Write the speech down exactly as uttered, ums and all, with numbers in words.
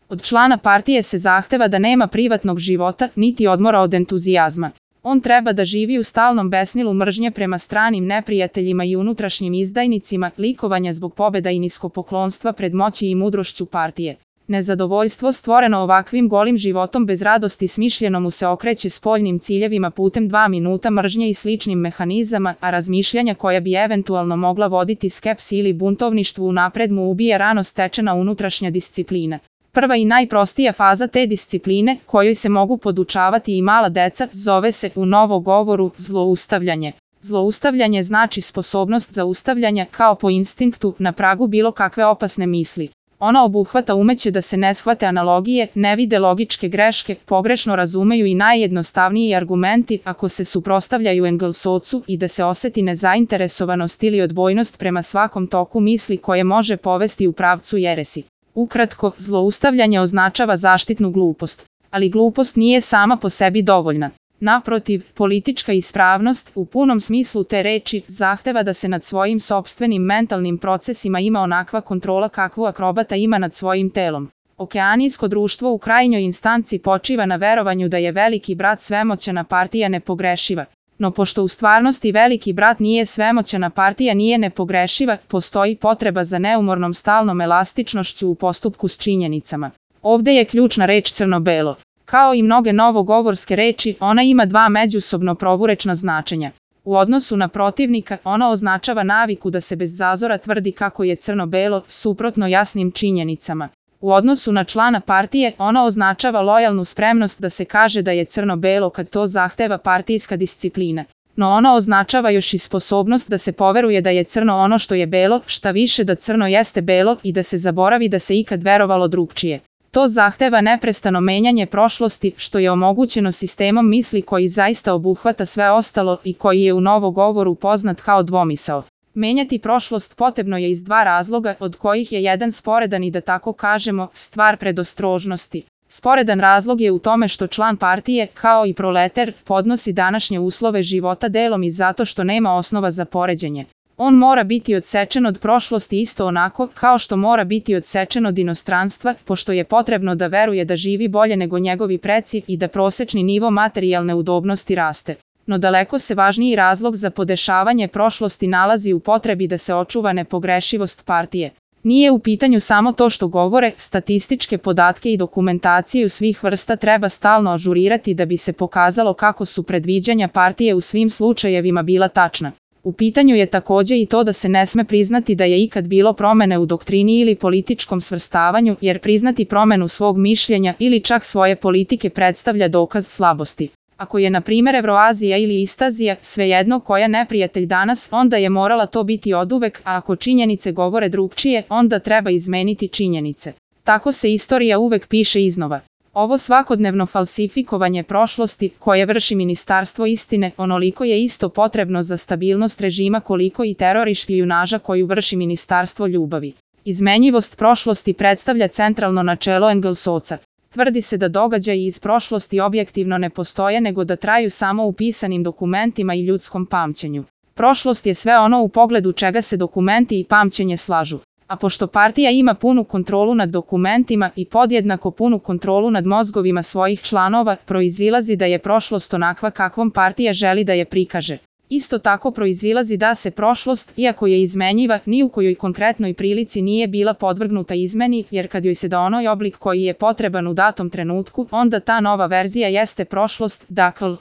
Od člana partije se zahteva da nema privatnog života, niti odmora od entuzijazma. On treba da živi u stalnom besnilu mržnje prema stranim neprijateljima i unutrašnjim izdajnicima, likovanja zbog pobeda i niskopoklonstva pred moći i mudrošću partije. Nezadovoljstvo stvoreno ovakvim golim životom bez radosti smišljeno mu se okreće spoljnim ciljevima putem dva minuta mržnje i sličnim mehanizama, a razmišljanja koja bi eventualno mogla voditi skepsi ili buntovništvu unapred mu ubija rano stečena unutrašnja disciplina. Prva i najprostija faza te discipline, kojoj se mogu podučavati i mala deca, zove se u novogovoru zloustavljanje. Zloustavljanje znači sposobnost zaustavljanja, kao po instinktu, na pragu bilo kakve opasne misli. Ona obuhvata umeće da se ne shvate analogije, ne vide logičke greške, pogrešno razumeju i najjednostavniji argumenti ako se suprotstavljaju Engelsovcu i da se oseti nezainteresovanost ili odbojnost prema svakom toku misli koje može povesti u pravcu jeresi. Ukratko, zloustavljanje označava zaštitnu glupost. Ali glupost nije sama po sebi dovoljna. Naprotiv, politička ispravnost, u punom smislu te reči, zahteva da se nad svojim sopstvenim mentalnim procesima ima onakva kontrola kakvu akrobata ima nad svojim telom. Okeanijsko društvo u krajnjoj instanci počiva na verovanju da je veliki brat svemoćna partija nepogrešiva. No pošto u stvarnosti veliki brat nije svemoćna partija nije nepogrešiva, postoji potreba za neumornom stalnom elastičnošću u postupku s činjenicama. Ovde je ključna reč crno-belo. Kao i mnoge novogovorske reči, ona ima dva međusobno proturečna značenja. U odnosu na protivnika, ona označava naviku da se bez zazora tvrdi kako je crno-belo, suprotno jasnim činjenicama. U odnosu na člana partije, ona označava lojalnu spremnost da se kaže da je crno-belo kad to zahteva partijska disciplina. No ona označava još i sposobnost da se poveruje da je crno ono što je belo, šta više da crno jeste belo i da se zaboravi da se ikad verovalo drugčije. To zahteva neprestano menjanje prošlosti, što je omogućeno sistemom misli koji zaista obuhvata sve ostalo i koji je u novogovoru poznat kao dvomisao. Menjati prošlost potrebno je iz dva razloga, od kojih je jedan sporedan i da tako kažemo, stvar predostrožnosti. Sporedan razlog je u tome što član partije, kao i proleter, podnosi današnje uslove života delom i zato što nema osnova za poređenje. On mora biti odsečen od prošlosti isto onako kao što mora biti odsečen od inostranstva, pošto je potrebno da veruje da živi bolje nego njegovi preci i da prosečni nivo materijalne udobnosti raste. No daleko se važniji razlog za podešavanje prošlosti nalazi u potrebi da se očuva nepogrešivost partije. Nije u pitanju samo to što govore, statističke podatke i dokumentaciju svih vrsta treba stalno ažurirati da bi se pokazalo kako su predviđanja partije u svim slučajevima bila tačna. U pitanju je takođe i to da se ne sme priznati da je ikad bilo promene u doktrini ili političkom svrstavanju, jer priznati promenu svog mišljenja ili čak svoje politike predstavlja dokaz slabosti. Ako je na primjer Evroazija ili Istazija, svejedno koja neprijatelj danas, onda je morala to biti oduvek, a ako činjenice govore drugčije, onda treba izmeniti činjenice. Tako se istorija uvek piše iznova. Ovo svakodnevno falsifikovanje prošlosti, koje vrši Ministarstvo istine, onoliko je isto potrebno za stabilnost režima koliko i teror i špijunaža koju vrši Ministarstvo ljubavi. Izmenjivost prošlosti predstavlja centralno načelo Engelsovca. Tvrdi se da događaji iz prošlosti objektivno ne postoje nego da traju samo u pisanim dokumentima i ljudskom pamćenju. Prošlost je sve ono u pogledu čega se dokumenti i pamćenje slažu. A pošto partija ima punu kontrolu nad dokumentima i podjednako punu kontrolu nad mozgovima svojih članova, proizilazi da je prošlost onakva kakvom partija želi da je prikaže. Isto tako proizilazi da se prošlost, iako je izmenjiva, ni u kojoj konkretnoj prilici nije bila podvrgnuta izmeni, jer kad joj se da onoj oblik koji je potreban u datom trenutku, onda ta nova verzija jeste prošlost, dakle,